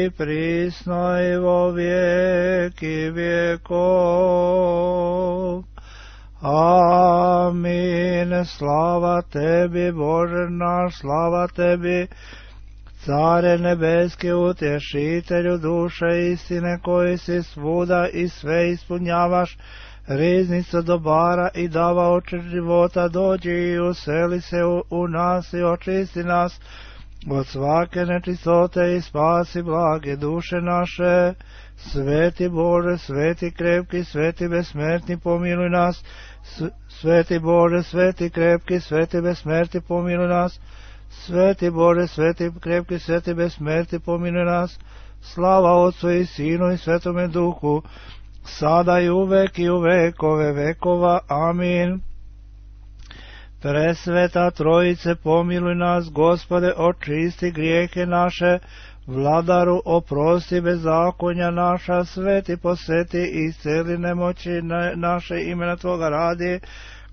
i prisno i vo vijeki vjekov. Amin. Slava tebi, Bože naš, slava tebi, Care nebeski, utješitelju duše istine, koji si svuda i sve ispunjavaš, riznica dobara i davaoče života, dođi i useli se u nas i očisti nas od svake nečistote i spasi blage duše naše. Sveti Bože, sveti krepki, sveti besmrtni, pomiluj nas. Sveti Bože, sveti krepki, sveti besmrtni, pomiluj nas. Sveti Bože, sveti krepki, sveti besmrtni, pomiluj nas. Slava Otcu i Sinu i Svetome Duhu, sada i uvek i u vekove vekova. Amin. Presveta Trojice, pomiluj nas. Gospode, očisti grijehe naše. Vladaru, oprosti bezakonja naša. Sveti, posveti i isceli nemoći naše, imena Tvoga radi.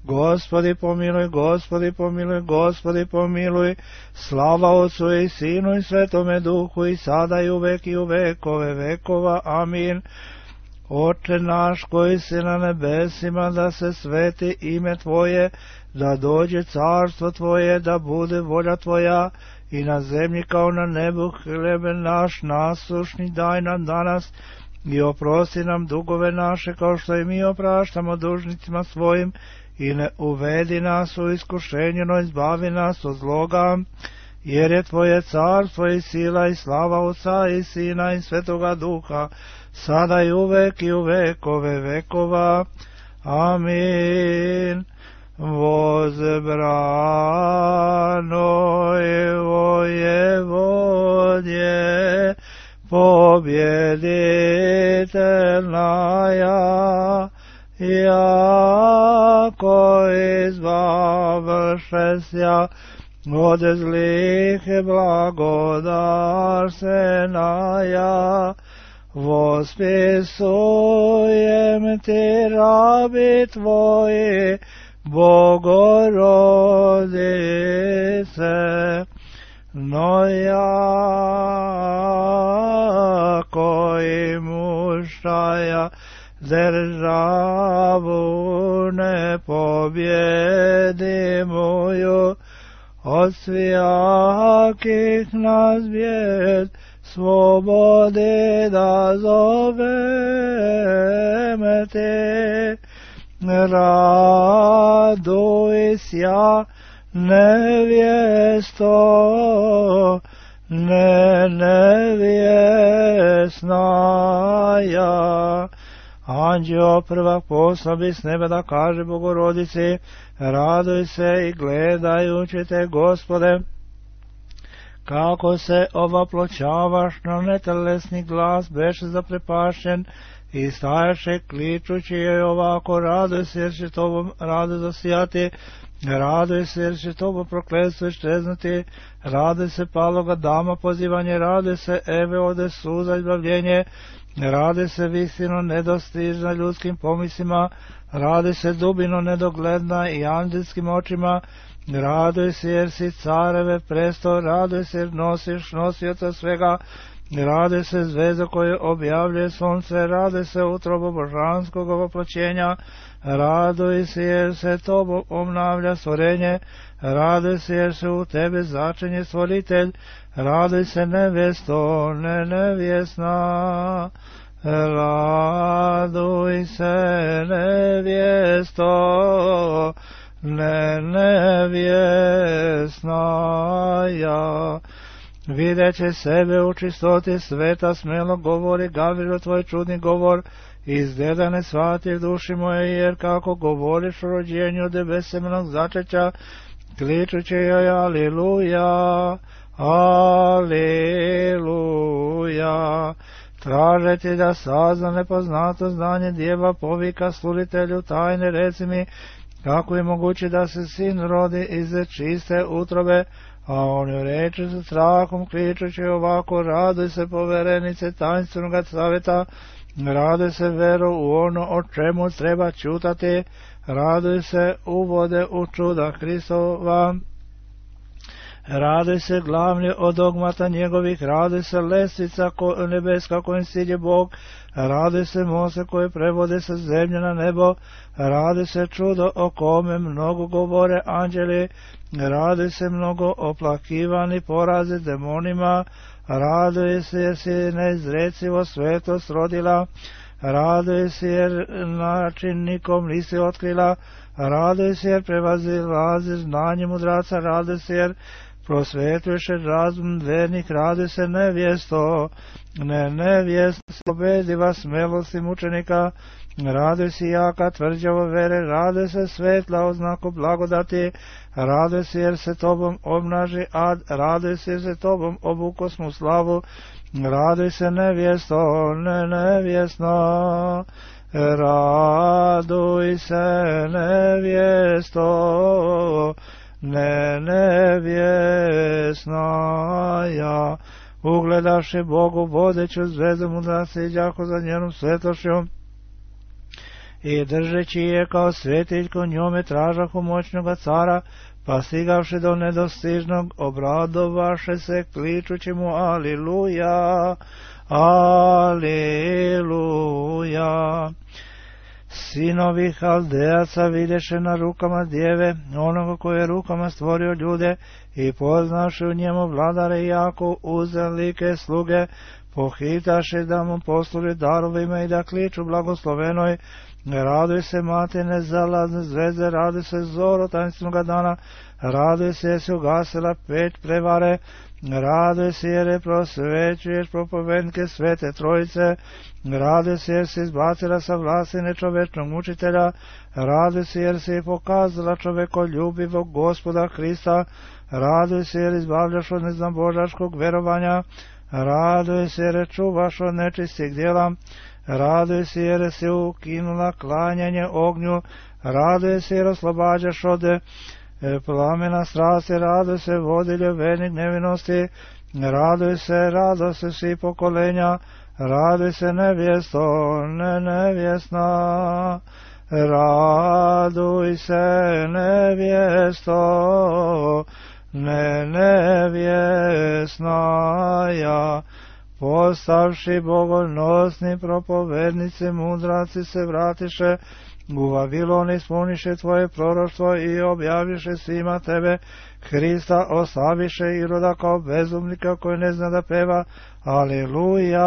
Gospodi pomiluj, Gospodi pomiluj, Gospodi pomiluj. Slava Otcu i Sinu i Svetome Duhu, i sada i uvek i u vekove vekova. Amin. Oče naš koji si na nebesima, da se sveti ime Tvoje, da dođe carstvo Tvoje, da bude volja Tvoja i na zemlji kao na nebu. Hljeb naš nasušni daj nam danas i oprosti nam dugove naše, kao što i mi opraštamo dužnicima svojim, i ne uvedi nas u iskušenje, no izbavi nas od zloga, jer je Tvoje carstvo i sila i slava Otca i Sina i Svetoga Duha, sada i uvek i u vekove vekova. Amin. Возбранoj Vojevodje, pobjeditelnaja, jako izbavšesja od zlih blagodarstvenaja, vospisujem ti rabi Tvoji, Bogorodice, no jako i muštaja državu ne pobjedimuju, od svijakih nas bijed slobode da zoveme te. Raduj sja nevjesto, nevjesnaja. Anđeo prvak poslabi s neba da kaže Bogorodici, raduj se i gledajući te, Gospode, kako se ovaploćavaš, na netelesni glas beše zaprepašćen i stajaše kličući joj ovako, raduj se jer će tobom rado zasijati, raduj se jer će tobom prokletstvo iščeznuti, raduj se paloga dama pozivanje, raduj se Eve ode suza izbavljenje, raduj se visino nedostižna ljudskim pomislima, raduj se dubino nedogledna i anđelskim očima, raduj se jer si careve presto, raduj se jer nosiš nosioca svega, raduj se zvezda koje objavljuje sunce, raduj se utrobo božanskog ovoploćenja, raduj se jer se tobom obnavlja stvorenje, raduj se jer se u tebe začinje stvoritelj, raduj se nevjesto, nevjesna, raduj se nevjesto, nevjesnaja. Videće sebe u čistoti sveta, smelo govori Gavrilo tvoj čudni govor, izgleda ne shvati duši moje, jer kako govoriš o rođenju debesemenog začeća, kličući joj aliluja, aliluja. Traže ti da sazna nepoznato znanje djeva, povika sluditelju tajne, reci mi, kako je moguće da se sin rodi iz čiste utrobe, a on joj reče sa strahom kličući ovako, raduj se poverenice tajnstvenog savjeta, raduj se vero u ono o čemu treba čutati, raduj se uvode u čuda Hristova, Raduj se glavni od dogmata njegovih, raduj se lestvica nebeska kojim silje Bog, raduj se mose koje prevode sa zemlje na nebo, raduj se čudo o kome mnogo govore anđeli, raduj se mnogo oplakivani porazi demonima, raduj se jer si neizrecivo svetost rodila, raduj se jer način nikom nisi otkrila, raduj se jer prevazilaziš znanje mudraca, raduj se jer prosvetuješ razum vernik, raduj se nevjesto, nevjesto pobediva smelosti mučenika, raduj se jaka tvrđavo vere, raduj se svetla oznaku blagodati, raduj se jer se tobom obnaži ad, raduj se jer se tobom obukosmu slavu, raduj se nevjesto, nevjesno, raduj se nevjesto, nevjesnaja, ugledavši Bogu vodeću zvezdu mudraca i đako za njenom svetošću, i držeći je kao svetiljko njome tražahu moćnoga cara, pa stigavši do nedostižnog obradovaše se kličući mu aliluja, aliluja. Sinovi Haldejaca videše na rukama djeve, onoga koje je rukama stvorio ljude, i poznaši u njemu vladare jako uzelike sluge, pohitaše da mu posluži darovima i da kliču blagoslovenoj. Raduj se mati nezalazne zvezde, raduj se zoro tainstvenog dana, raduj se jer si ugasila peć prevare, raduj se jer je prosvećuješ propovednike svete trojice, raduj se jer si izbacila sa vlasti nečovečnog mučitelja, raduj se jer si pokazala čovekoljubivog Gospoda Hrista, raduj se jer izbavljaš od neznabožačkog verovanja, raduj se jer čuvaš od nečistih djela, raduj se jer si ukinula klanjanje ognju, raduj se jer oslobađaš od plamena strasti, raduj se vodilje vernik nevinosti, raduj se, raduj se svi pokolenja, raduj se nevjesto, nevjesna, raduj se nevjesto, nevjesnaja. Postavši bogonosni propovednici, mudraci se vratiše u Vavilon, ispuniše tvoje proroštvo i objaviše svima tebe Hrista, oslaviše Iroda kao bezumnika koji ne zna da peva. Aleluja,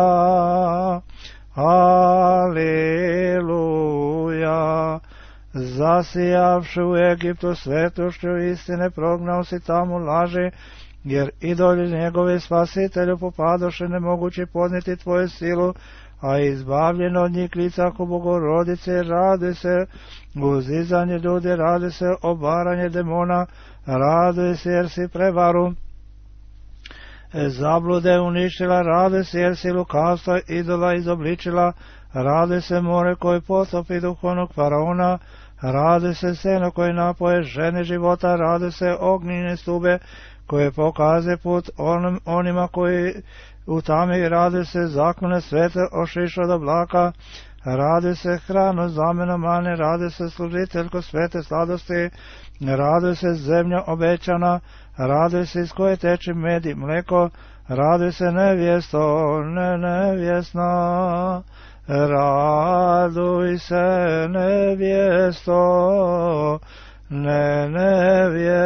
aleluja. Zasijavši u Egiptu svetošću istine, prognao si tamo laži, jer idoli njegovi spasitelju popadoše nemogući podnijeti tvoju silu, a izbavljeno od njih licaku Bogorodice, raduj se uzizanje ljudi, raduj se obaranje demona, raduj se jer si prevaru zablude uništila, raduj se jer si lukavstva idola izobličila, raduj se more koji potopi duhovnog faraona, raduj se seno koji napoje žene života, raduj se ognjene stube koje pokaze put onima koji u tami, raduj se zakone svete ošiš od oblaka, raduj se hrano zamena mane, raduj se služiteljko svete sladosti, raduj se zemlja obećana, raduj se iz koje teče med i mleko, raduj se nevjesto, nevjesna, raduj se nevjesto, nevjesnaja.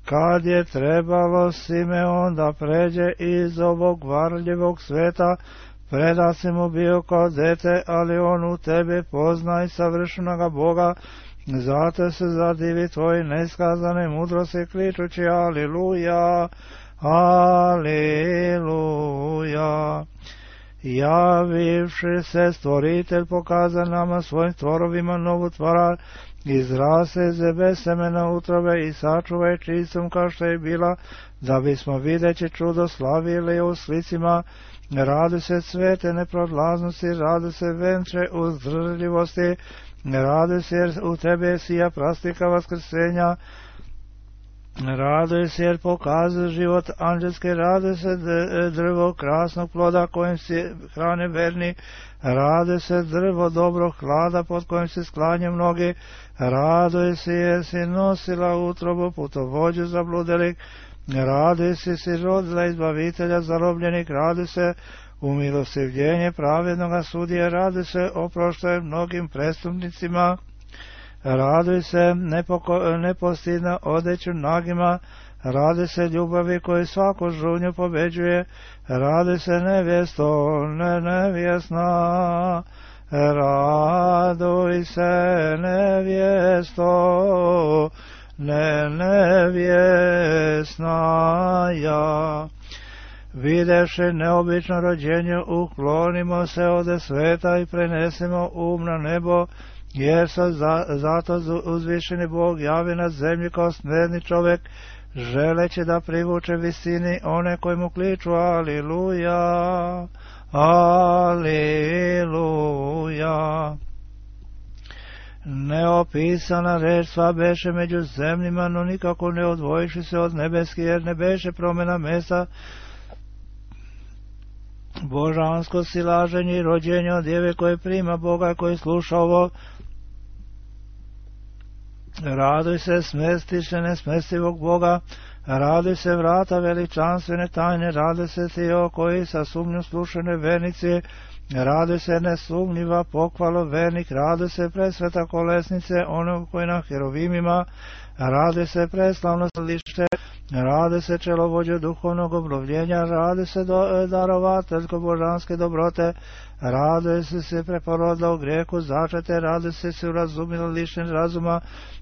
Kad je trebalo Simeon da pređe iz ovog varljivog sveta, preda si mu bio kao dete, ali on u tebe poznaj savršenoga Boga, zato se zadivi tvoji neskazane mudrosti, kličući aliluja, aliluja. Javivši se stvoritelj pokaza nama svojim tvorovima novu tvara, izrase zebe semena utrobe i sačuvaj čistom kao što je bila, da bismo videći čudo slavili u slicima. Raduj se cvete neprolaznosti, raduj se venče uzdržljivosti, raduj se jer u tebe sija prastika vaskrsenja, Raduj se jer pokazuje život anđelske, raduj se drvo krasnog ploda kojim se hrane verni, raduj se drvo dobrog hlada pod kojim se sklanje mnogi, raduj se jer si nosila utrobu putovođu zabludelih, raduj se si rodila izbavitelja zarobljenih, raduj se umilostivljenje pravednoga sudije, raduj se oproštaj mnogim prestupnicima, raduj se nepostidna odeću nagima, raduj se ljubavi koji svaku žunju pobeđuje, raduj se nevjesto, nevjesna, raduj se nevjesto, nevjesna ja. Videši neobično rođenje, uklonimo se ode sveta i prenesemo na nebo, jer se zato uzvišeni Bog javi na zemlji kao smjerni čovjek, želeći da privuče visini one koji mu kliču aliluja, aliluja. Neopisana reč sva beše među zemljima, no nikako ne odvojiši se od nebeski, jer ne beše promjena mesta, božansko silaženje i rođenje od djeve koje prima Boga i koji sluša ovo. Raduj se smestiše nesmestivog Boga, raduj se vrata veličanstvene tajne, raduj se ti o koji sa sumnju slušane vernici, raduj se nesumnjiva pohvalo vernik, raduj se presveta kolesnice onog koji na herovimima, raduj se preslavno lište, raduj se čelovođe duhovnog obnovljenja, raduj se darovateljko božanske dobrote, raduj se preporodila u grijehu začete, raduj se urazumila lišen razuma,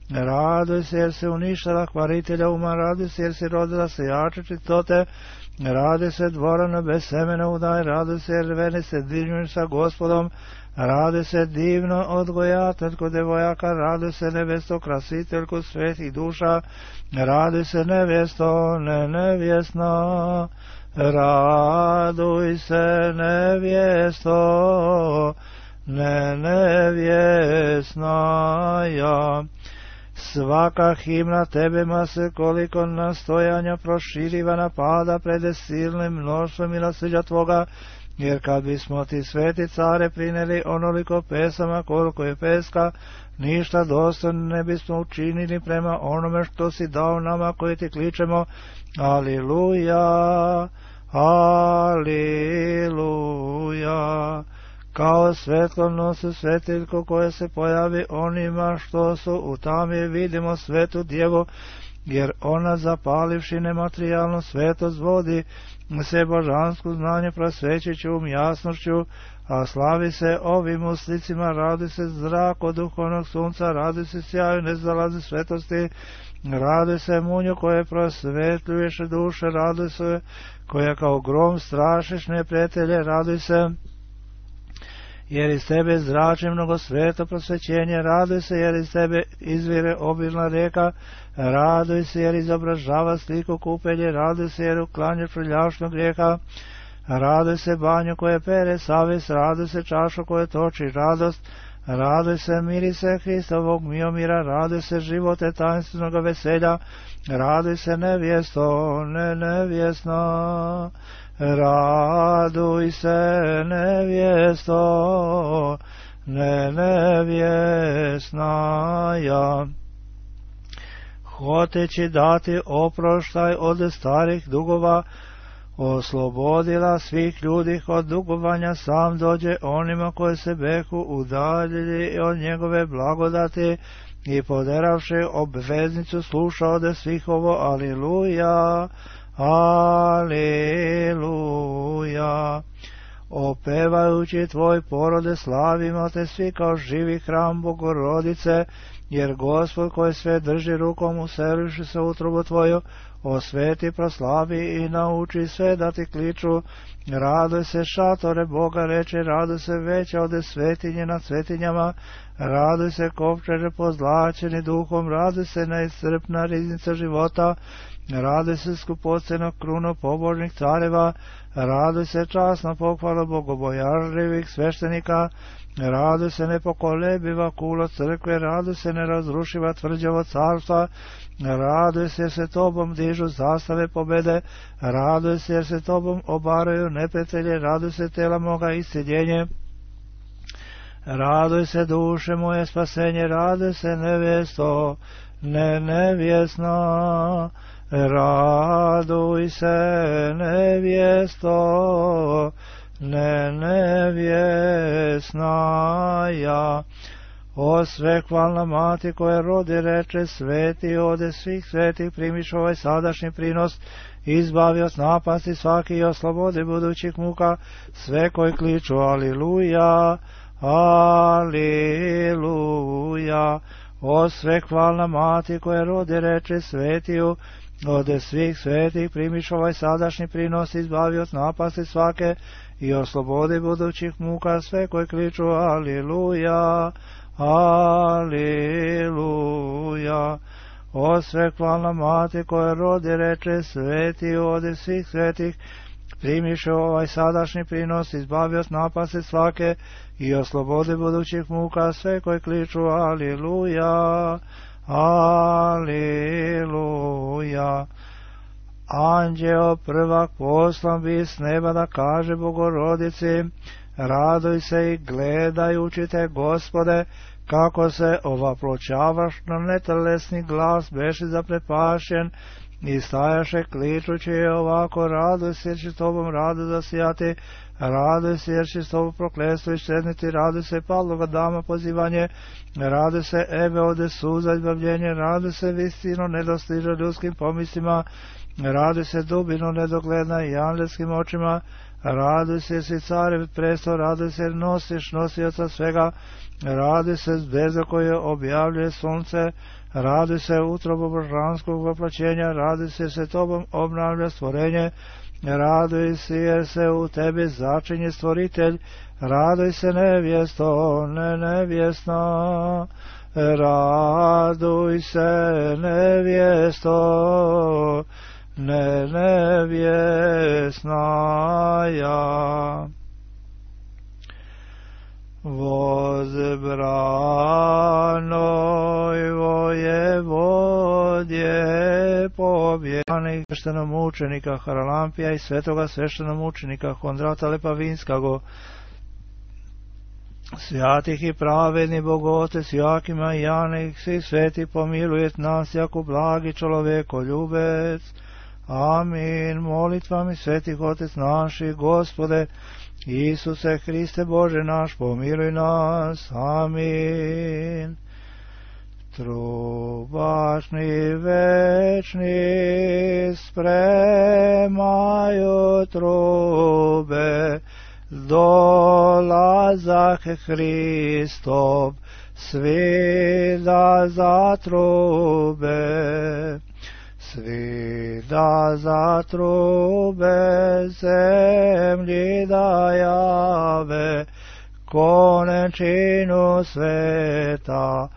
raduj se jer se uništila kvaritelja uma, raduj se jer se rodila se jače čistote, raduj se dvorano bez semena udaj, raduj se jer vene se divnjuju sa Gospodom, raduj se divno odgojateljko devojaka, raduj se nevesto krasiteljko svetih duša, raduj se nevjesto nevjesna, raduj se nevjesto nevjesna ja. Svaka himna tebema se koliko nastojanja proširiva napada pred silnim mnoštvom milosrđa tvoga, jer kad bismo ti sveti care prineli onoliko pesama koliko je peska, ništa dostojno ne bismo učinili prema onome što si dao nama koji ti kličemo aliluja, aliluja. Kao svetlo nosi svetiljko koje se pojavi onima što su u tami, vidimo svetu djevu, jer ona zapalivši nematerijalnu svetost vodi se božansku znanje prosvećući jasnošću, a slavi se ovim uslicima, radi se zrak od duhovnog sunca, radi se sjaju nezalazi svetosti, radi se munju koje prosvetljuješ duše, radi se koja kao grom strašiš neprijatelje, radi se jer iz tebe zrači mnogo sveto prosvećenje, raduj se jer iz tebe izvire obilna rijeka, raduj se jer izobražava sliku kupelje, raduj se jer uklanja prljavšnog grijeha, raduj se banju koje pere savjest, raduj se čašu koje toči radost, raduj se mirise Hristovog miomira, raduj se živote tajnstvenog veselja, raduj se nevjesto nevjesna, raduj se nevjesto nevjesna ja. Hoteći dati oproštaj od starih dugova, oslobodila svih ljudi od dugovanja, sam dođe onima koji se behu udaljili od njegove blagodati i poderavši obveznicu sluša ode svih ovo aliluja, aliluja. Opevajući tvoj porode slavimo te svi kao živi hram Bogorodice, jer Gospod koji sve drži rukom useliši se utrobu tvoju, osveti, proslavi i nauči sve da ti kliču. Raduj se šatore Boga reče, raduj se veća ode svetinje nad svetinjama, raduj se kovčeže pozlačeni duhom, raduj se neiscrpna riznica života, Raduj se skupocjeno kruno pobožnih careva, raduj se časna pohvala bogobojažljivih sveštenika, raduj se nepokolebiva kulo crkve, raduj se nerazrušiva tvrđavo carstva, raduj se jer se tobom dižu zastave pobede, raduj se jer se tobom obaraju neprijatelje, raduj se tela moga isceljenje. Raduj se duše moje spasenje, raduj se nevjesto, nevjesna, raduj se nevjesto, nevjesna ja. O svekvalna mati koja rodi reče, sveti ode svih svetih, primiš ovaj sadašnji prinos, izbavi od napasti svaki i oslobodi budućih muka, sve koji kliču aliluja, aliluja. O svekvalna mati koja rodi reče, svetiju ode svih svetih, primiš ovaj sadašnji prinos, izbavi od napasti svake i oslobodi budućih muka, sve koji kliču aliluja, aliluja. O svekvalna mati koja rodi reče, sveti ode svih svetih, primiš ovaj sadašnji prinos, izbavi od napasti svake i oslobodi budućih muka, sve koji kliču aliluja, aliluja. Anđeo prvak poslan bi s neba da kaže Bogorodici, raduj se i gledajući te, Gospode, kako se ovaploćavaš na netelesni glas, beši zaprepašen i stajaše kličući ovako, raduj se jer će s tobom rado zasijati, raduj se jer će s tobom prokletstvo iščezniti, raduj se Pavlova dama pozivanje, raduj se Eve ode suza izbavljenje, raduj se vistino nedostiže ljudskim pomislima, raduj se dubino nedogledna i angelskim očima, raduj se jer si carev presto, raduj se jer nosiš nosioca svega, raduj se zvezda koje objavljuje sunce, raduj se utrobo božanskog voplaćenja, raduj se jer se tobom obnavlja stvorenje, raduj se jer se u tebi začinje stvoritelj, raduj se nevjesto, nevjesna, raduj se nevjesto, nevjesna ja. Возбранoj vojevodje pobjeganih sveštenomučenika Haralampija i svetoga sveštenomučenika Hondrata Lepavinskago, svjatih i pravedni Bogotec Jakima i Janih, svi sveti pomilujet nas jako blagi čovjekoljubec. Amin. Molitvami svetih Otec naših, Gospode Isuse Hriste Bože naš, pomiluj nas. Amin. Trubašni večni spremaju trube, dolazak Hristov, svi da zatrube, svi da zatrube, zemlji da jave konečinu sveta,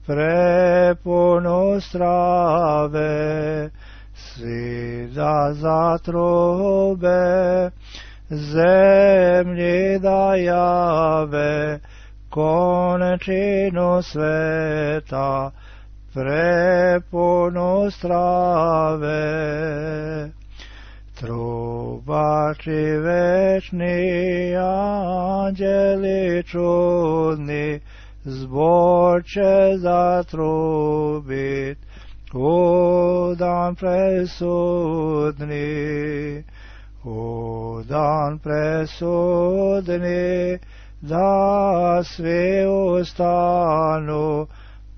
prepunu strave, svi da zatrube, zemlji da jave konečinu sveta, prepunu strave. Trubači večni, anđeli čudni, zbor će zatrubit u dan presudni, u dan presudni, da svi ustanu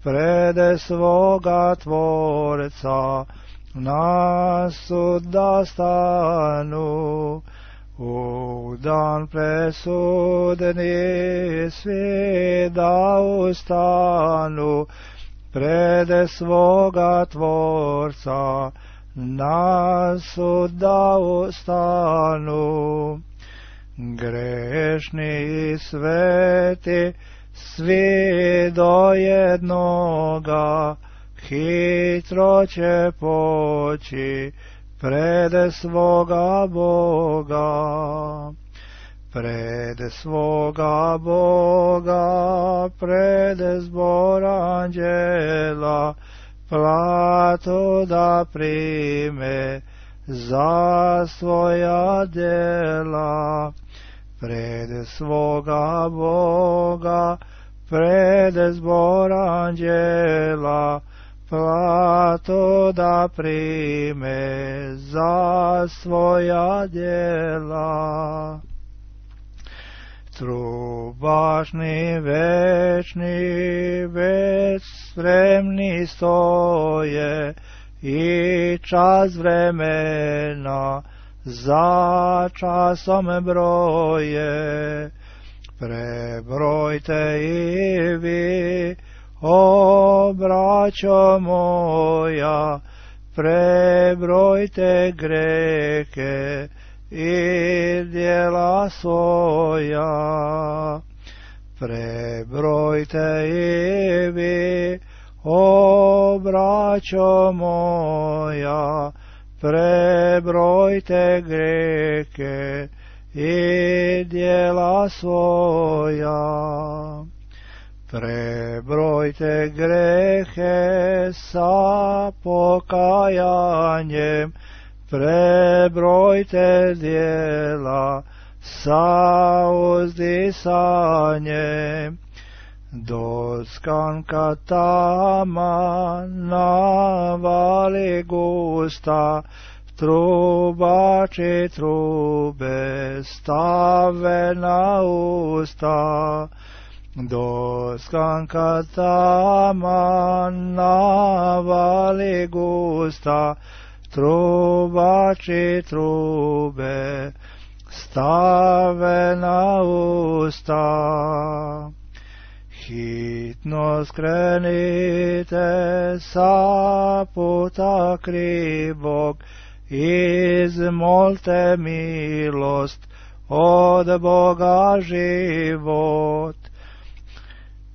prede svoga Tvorca, na sud da stanu. U dan presudni svi da ustanu prede svoga Tvorca, na sud da ustanu. Grešni i sveti svi do jednoga hitro će poći pred svoga Boga. Pred svoga Boga, pred zbor anđela, platu da prime za svoja djela. Pred svoga Boga, pred zbor anđela, platu da prime za svoja djela. Trubašni večni već spremni stoje i čas vremena za časom broje. Prebrojte i vi, o braćo moja, prebrojte grehe i djela svoja. Prebrojte i vi, o braćo moja, prebrojte grehe i djela svoja. Prebrojte grehe sa pokajanjem, prebrojte djela sa uzdisanjem. Do skanka tama navali gusta, trubači trube stave na usta. Do skanka tama navali gusta, trubači trube stave na usta. Hitno skrenite sa puta krivog, izmolte milost od Boga život.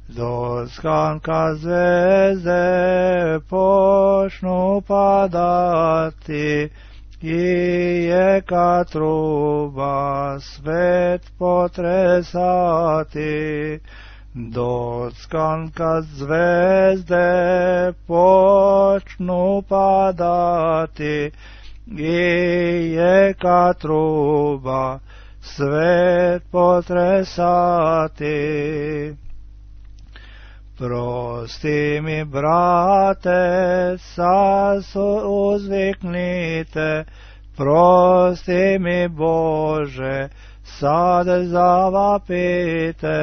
Do skanka zvezde počnu padati i jeka truba svet potresati. Do skanka zvezde počnu padati i jeka truba svet potresati. Prosti mi, brate, sad uzviknite, prosti mi, Bože, sad zavapite.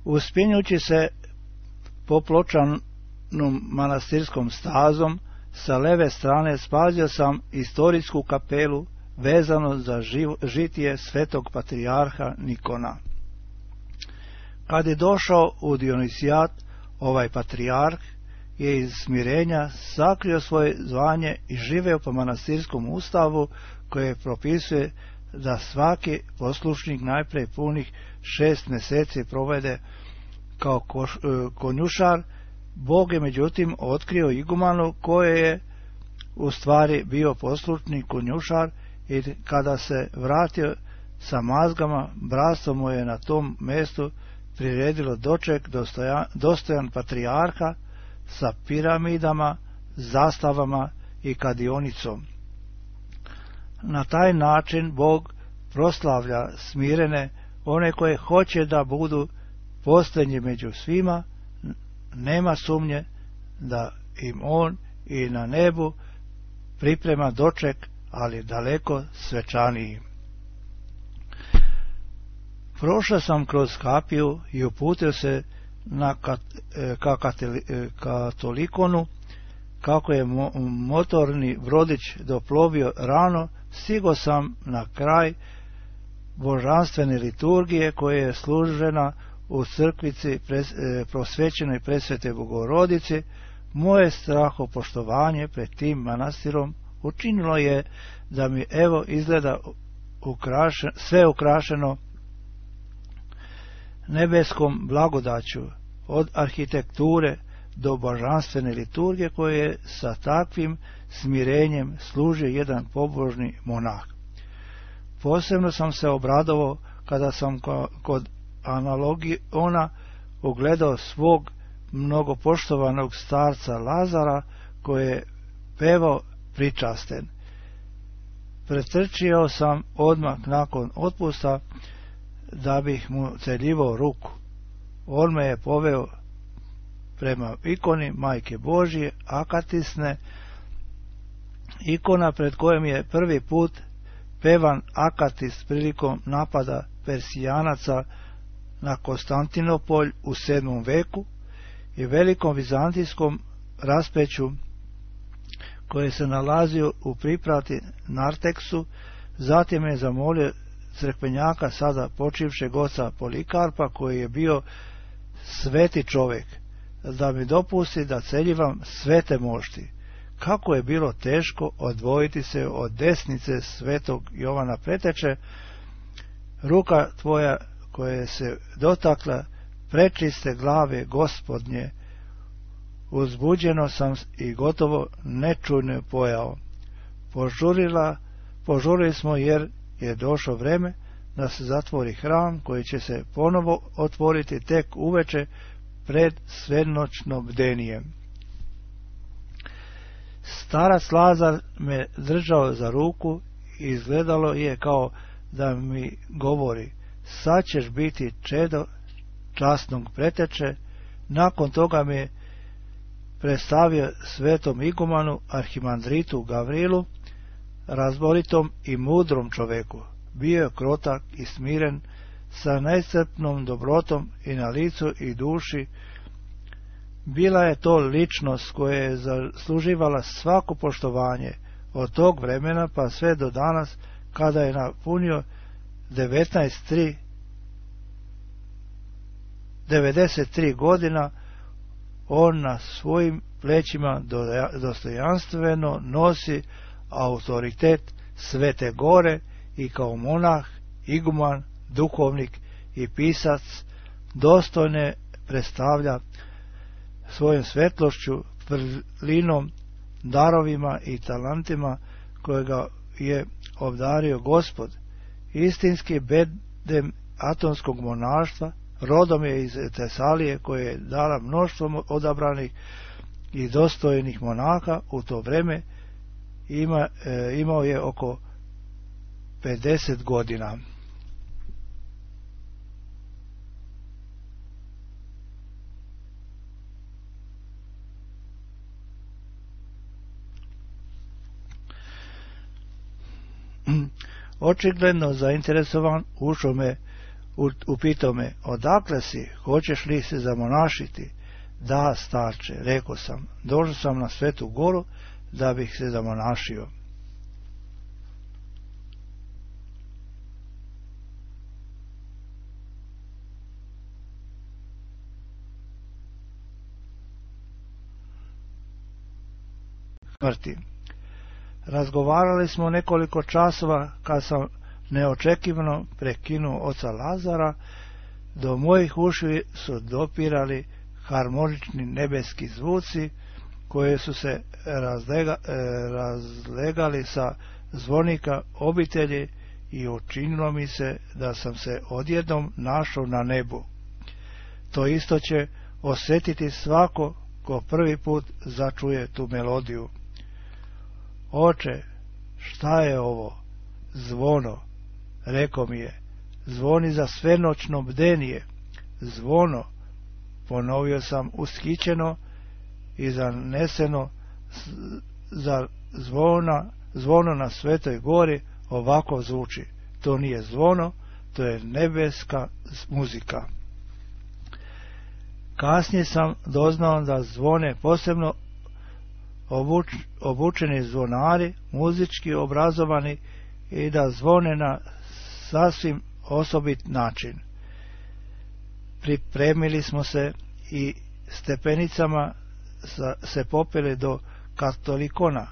Uspinjući se po pločanom manastirskom stazom, sa leve strane spazio sam istorijsku kapelu vezano za žitije svetog patrijarha Nikona. Kad je došao u Dionisijat, ovaj patrijarh je iz smirenja sakrio svoje zvanje i živeo po manastirskom ustavu koje propisuje da svaki poslušnik najprije punih 6 mjeseci provede kao konjušar. Bog je međutim otkrio igumanu koji je u stvari bio poslušni konjušar i kada se vratio sa mazgama, bratstvo mu je na tom mjestu priredilo doček dostojan patrijarha sa piramidama, zastavama i kadionicom. Na taj način Bog proslavlja smirene, one koje hoće da budu posljednji među svima. Nema sumnje da im on i na nebu priprema doček, ali daleko svečaniji. Prošao sam kroz kapiju i uputio se ka Katolikonu. Kako je motorni brodić doplovio rano, stigo sam na kraj božanstvene liturgije koja je služena u crkvici prosvećenoj Presvete Bogorodici. Moje strahopoštovanje pred tim manastirom učinilo je da mi evo izgleda sve ukrašeno nebeskom blagodaću, od arhitekture do božanstvene liturgije koje sa takvim smirenjem služi jedan pobožni monah. Posebno sam se obradovao kada sam kod Analogiona ugledao svog mnogopoštovanog starca Lazara koji je pevao pričasten. Pretrčio sam odmah nakon otpusta da bih mu celjivao ruku. On me je poveo prema ikoni Majke Božje, akatisne, ikona pred kojom je prvi put pevan akatis prilikom napada Persijanaca na Konstantinopolj u 7. veku i velikom vizantijskom raspeću koje se nalazio u priprati Narteksu. Zatim je zamolio crkvenjaka, sada počivšeg oca Polikarpa, koji je bio sveti čovjek, da mi dopusti da celjivam svete mošti. Kako je bilo teško odvojiti se od desnice svetog Jovana Preteče. Ruka tvoja koja se dotakla prečiste glave Gospodnje, uzbuđeno sam i gotovo nečujno pojao. Požurili smo jer je došlo vreme da se zatvori hram koji će se ponovo otvoriti tek uveče pred svenoćno bdenije. Starac Lazar me držao za ruku i izgledalo je kao da mi govori: sad ćeš biti čedo časnog Preteče. Nakon toga me predstavio svetom igumanu arhimandritu Gavrilu, razboritom i mudrom čoveku. Bio je krotak i smiren, sa najstrpnom dobrotom i na licu i duši. Bila je to ličnost koja je zasluživala svako poštovanje od tog vremena pa sve do danas, kada je napunio 93 godina. On na svojim plećima dostojanstveno nosi autoritet Svete Gore i kao monah, iguman, duhovnik i pisac dostojne predstavlja svojom svetlošću, vrlinom, darovima i talentima kojega je obdario Gospod. Istinski bedem atonskog monaštva, rodom je iz Tesalije, koje je dala mnoštvo odabranih i dostojnih monaha. U to vreme imao je oko 50 godina. Očigledno zainteresovan, ušao me, upitao me: odakle si, hoćeš li se zamonašiti? Da, starče, rekao sam, došao sam na Svetu Goru da bih se zamonašio. Smrti. Razgovarali smo nekoliko časova kad sam neočekivano prekinuo oca Lazara. Do mojih uši su dopirali harmonični nebeski zvuci koje su se razlegali sa zvonika obitelji i učinilo mi se da sam se odjednom našao na nebu. To isto će osjetiti svako ko prvi put začuje tu melodiju. Oče, šta je ovo? Zvono, rekao mi je, zvoni za svenoćno bdenije. Zvono, ponovio sam ushićeno i zaneseno. Za zvono na Svetoj Gori ovako zvuči. To nije zvono, to je nebeska muzika. Kasnije sam doznao da zvone posebno obučeni zvonari, muzički obrazovani, i da zvone na sasvim osobit način. Pripremili smo se i stepenicama se popeli do Katolikona.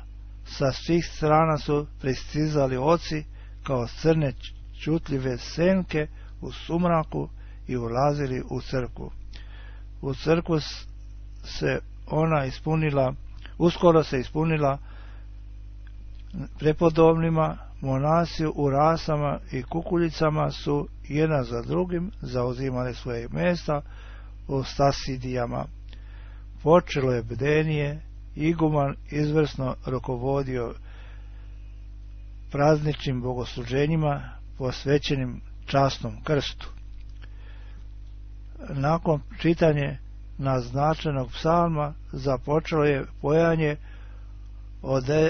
Sa svih strana su pristizali oci kao crne čutljive senke u sumraku i ulazili u crkvu. U crkvu se uskoro se ispunila prepodobnima. Monasi u rasama i kukuljicama su jedna za drugim zauzimali svoje mjesta u stasidijama. Počelo je bdenije, iguman izvrsno rukovodio prazničnim bogosluženjima posvećenim časnom krstu. Nakon čitanje naznačenog psalma započelo je pojanje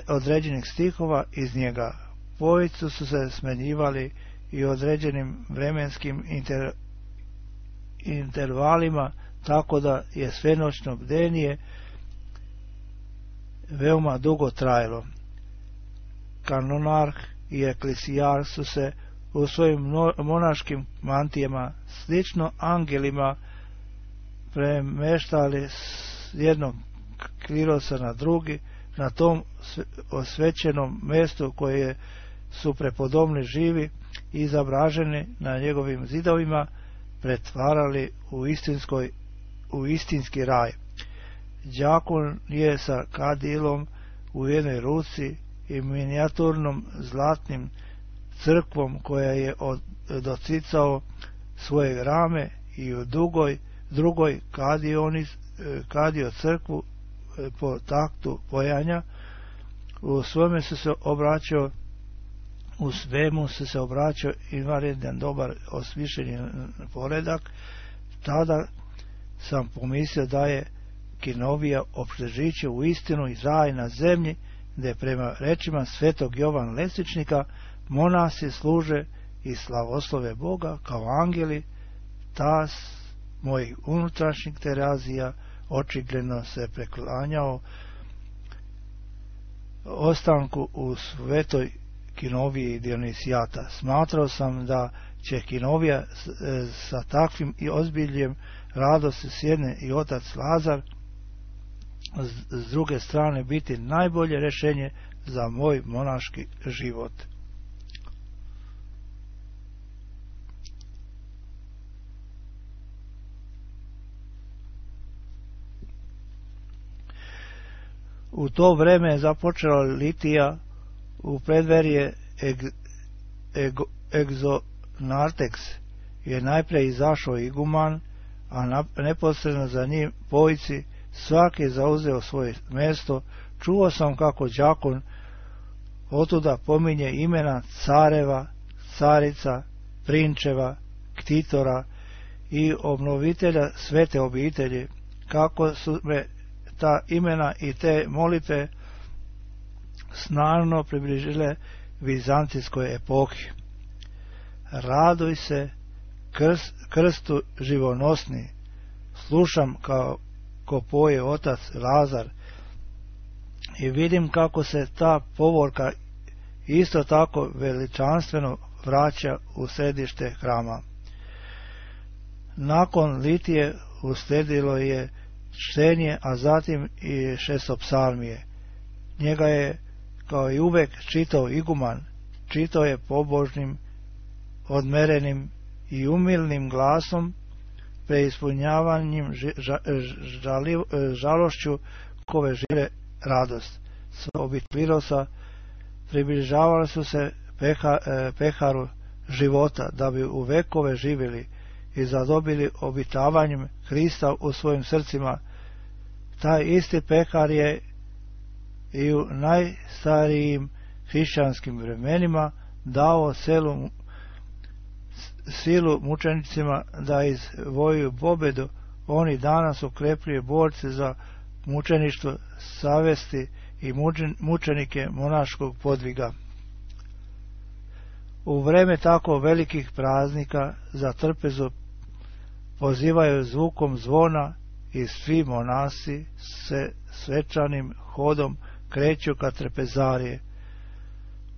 određenih stihova iz njega. Pojicu su se smenjivali i određenim vremenskim intervalima, tako da je svenoćno bdenije veoma dugo trajalo. Kanonarh i eklesijar su se u svojim monaškim mantijama slično angelima premeštali s jednog klirosa na drugi, na tom osvećenom mjestu koje su prepodobni živi i izobraženi na njegovim zidovima pretvarali u istinski raj. Đakon je sa kadilom u jednoj ruci i minijaturnom zlatnim crkvom koja je docicao svoje rame i u drugoj kadio crkvu po taktu pojanja. U svemu se se obraćao invaredan dobar osmišljeni poredak. Tada sam pomislio da je Kinovija opštežiće u istinu i raj na zemlji, gdje prema rečima svetog Jovana Lesničnika monasi služe i slavoslove Boga kao angeli. Tas mojih unutrašnjih terazija očigledno se preklanjao ostanku u svetoj Kinoviji Dionisijata. Smatrao sam da će Kinovija sa takvim i ozbiljem radosti s jedne i otac Lazar s druge strane biti najbolje rješenje za moj monaški život. U to vreme je započela litija u predverje Exonartex. Je najprije izašao iguman, a neposredno za njim pojici, svaki je zauzeo svoje mjesto. Čuo sam kako đakon otuda pominje imena careva, carica, prinčeva, ktitora i obnovitelja svete obitelji, kako su me ta imena i te molitve snažno približile vizantijskoj epohi. Raduj se krstu živonosni, slušam kako poje otac Lazar i vidim kako se ta povorka isto tako veličanstveno vraća u središte hrama. Nakon litije usledilo je čtenje, a zatim i šestopsalmije. Njega je kao i uvek čitao iguman, čitao je pobožnim, odmerenim i umilnim glasom, preispunjavanjem žalošću kove žive radost. S obitvirosa približavali su se peharu života, da bi u vekove živjeli i zadobili obitavanjem Hrista u svojim srcima. Taj isti pehar je i u najstarijim hrišćanskim vremenima dao silu mučenicima da izvojuju pobedu. Oni danas okrepljuju borce za mučeništvo savesti i mučenike monaškog podviga. U vreme tako velikih praznika za trpezu pozivaju zvukom zvona i svi monasi se svečanim hodom kreću ka trpezarije.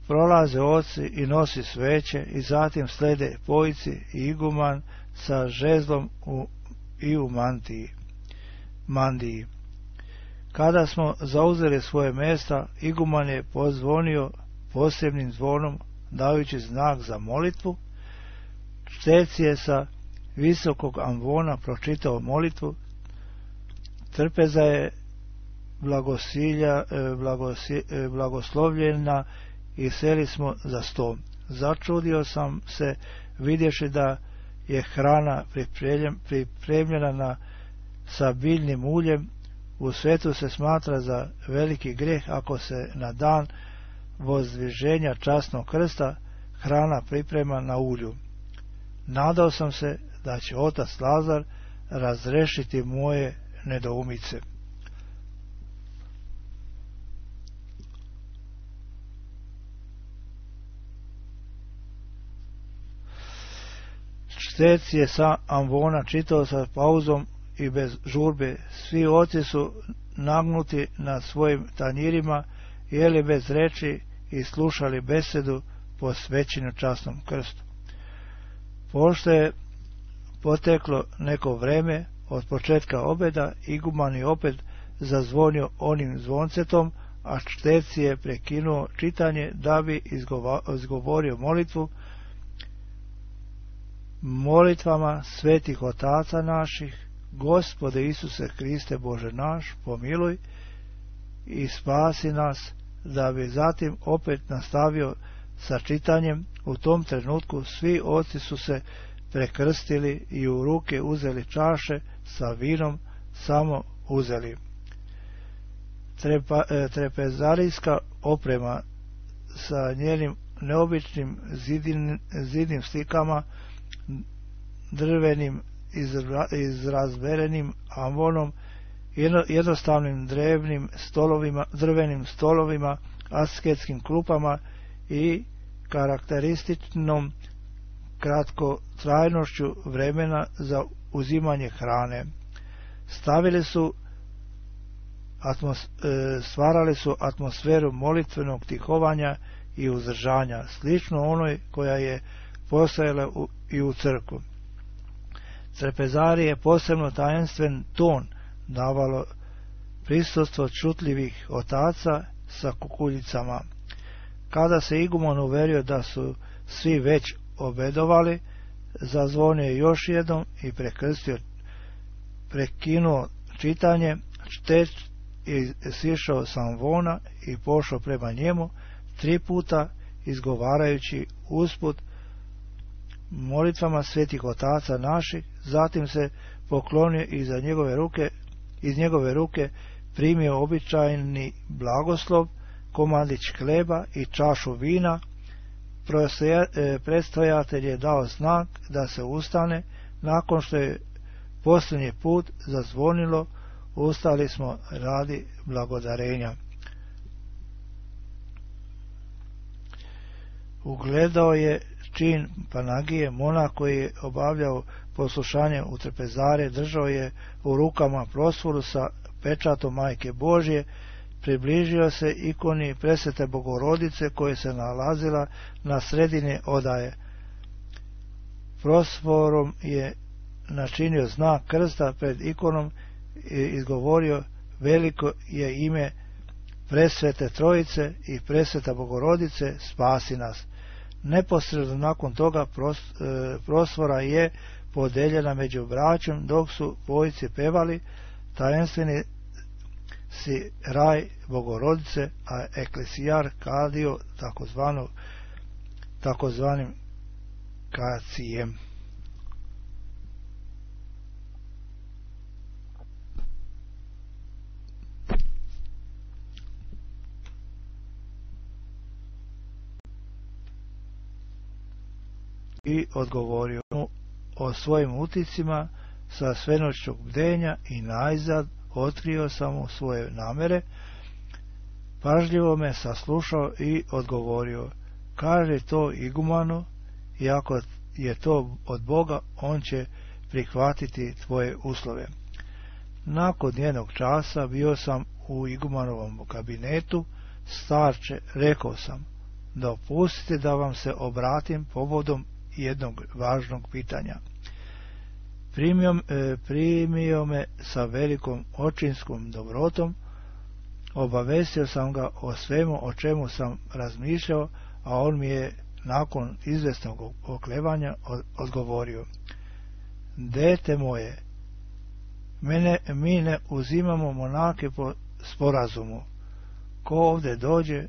Prolaze oci i nosi sveće i zatim slede pojici i iguman sa žezlom i u mandiji. Kada smo zauzeli svoje mjesta, iguman je pozvonio posebnim zvonom dajući znak za molitvu. Čtec je sa visokog ambona pročitao molitvu. Trpeza je blagoslovljena i seli smo za sto. Začudio sam se vidjevši da je hrana pripremljena sa biljnim uljem. U svetu se smatra za veliki grijeh ako se na dan vozdviženja časnog krsta hrana priprema na ulju. Nadao sam se da će otac Lazar razrešiti moje nedoumice. Čtec je sa ambona čitao sa pauzom i bez žurbe. Svi oci su nagnuti na svojim tanjirima, jeli bez reči i slušali besedu posvećenu časnom krstu. Pošto je poteklo neko vreme od početka obeda, iguman je opet zazvonio onim zvoncetom, a čtec je prekinuo čitanje da bi izgovorio molitvu: Molitvama svetih otaca naših, Gospode Isuse Hriste Bože naš, pomiluj i spasi nas, da bi zatim opet nastavio sa čitanjem. U tom trenutku svi oci su se prekrstili i u ruke uzeli čaše sa vinom, samo uzeli. Trepezarijska oprema sa njenim neobičnim zidnim slikama, drvenim izrazberenim ambonom, jednostavnim drvenim stolovima, asketskim klupama i karakterističnom kratkotrajnošću vremena za uzimanje hrane. Stvarali su atmosferu molitvenog tihovanja i uzdržanja, slično onoj koja je postojala i u crkvu. Trpezariji je posebno tajenstven ton davalo prisustvo čutljivih otaca sa kukuljicama. Kada se iguman uverio da su svi već obedovali, zazvonio je još jednom i prekinuo čitanje. Čtec je sišao sa ambona i pošao prema njemu, 3 puta izgovarajući usput molitvama svetih otaca naših, zatim se poklonio iz njegove ruke primio običajni blagoslov, komadić hleba i čašu vina. Predstojatelj je dao znak da se ustane. Nakon što je posljednji put zazvonilo, ustali smo radi blagodarenja. Ugledao je čin Panagije, monah koji je obavljao poslušanje u trpezare, držao je u rukama prosforu sa pečatom Majke Božje, približio se ikoni Presvete Bogorodice koja se nalazila na sredini odaje. Prosforom je načinio znak krsta pred ikonom i izgovorio: Veliko je ime Presvete Trojice i Presveta Bogorodice, spasi nas. Neposredno nakon toga prosvora je podeljena među braćom, dok su dvojice pevali tajenstveni si raj Bogorodice, a eklesijar kadio takozvanim kacijem. I odgovorio o svojim uticima sa svenoćnog bdenja i najzad otkrio sam mu svoje namere. Pažljivo me saslušao i odgovorio: Kaže to igumanu, i ako je to od Boga, on će prihvatiti tvoje uslove. Nakon jednog časa bio sam u igumanovom kabinetu. Starče, rekao sam, dopustite da vam se obratim povodom jednog važnog pitanja. Primio me sa velikom očinskom dobrotom, obavestio sam ga o svemu o čemu sam razmišljao, a on mi je nakon izvesnog oklevanja odgovorio: Dete moje, mi ne uzimamo monake po sporazumu. Ko ovdje dođe,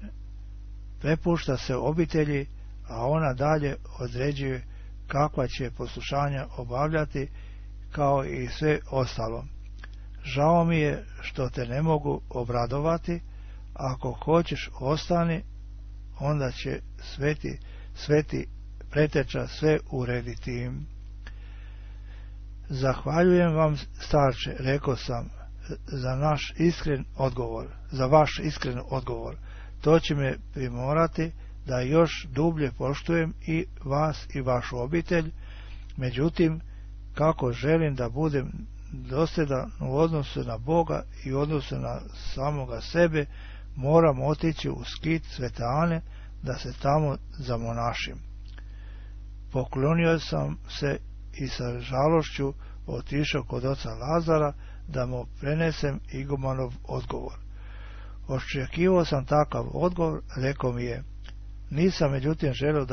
prepušta se obitelji, a ona dalje određuje kakva će poslušanja obavljati, kao i sve ostalo. Žao mi je što te ne mogu obradovati, ako hoćeš ostani, onda će sveti preteča sve urediti. Zahvaljujem vam, starče, rekao sam, za vaš iskren odgovor. To će me primorati da još dublje poštujem i vas i vašu obitelj. Međutim, kako želim da budem dosljedan u odnosu na Boga i u odnosu na samoga sebe, moram otići u skit Svete Ane da se tamo zamonašim. Poklonio sam se i sa žalošću otišao kod oca Lazara da mu prenesem igumanov odgovor. Očekivao sam takav odgovor, rekao mi je, nisam međutim želio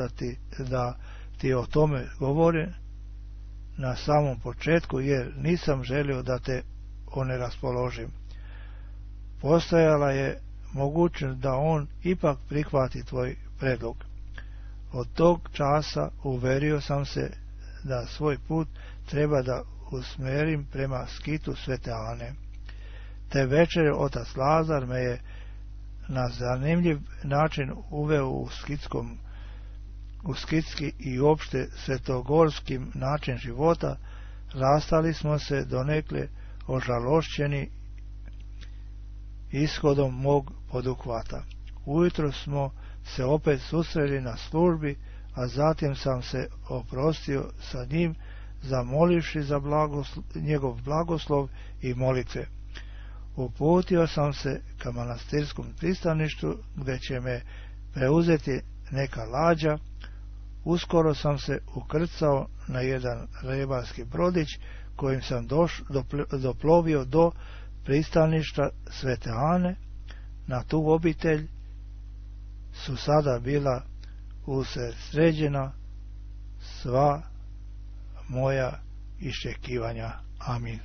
da ti o tome govorim na samom početku, jer nisam želio da te oneraspoložim. Postojala je mogućnost da on ipak prihvati tvoj predlog. Od tog časa uverio sam se da svoj put treba da usmerim prema skitu Svete Ane. Te večere otac Lazar me je na zanimljiv način uveo u skitski i opšte svetogorski način života. Rastali smo se donekle ožalošćeni ishodom mog poduhvata. Ujutro smo se opet susreli na službi, a zatim sam se oprostio sa njim, zamolivši za njegov blagoslov i molitve. Uputio sam se ka manastirskom pristaništu, gde će me preuzeti neka lađa. Uskoro sam se ukrcao na jedan ribarski brodić, kojim sam doplovio do pristaništa Svete Ane. Na tu obitelj su sada bila usredsređena sva moja iščekivanja. Amin.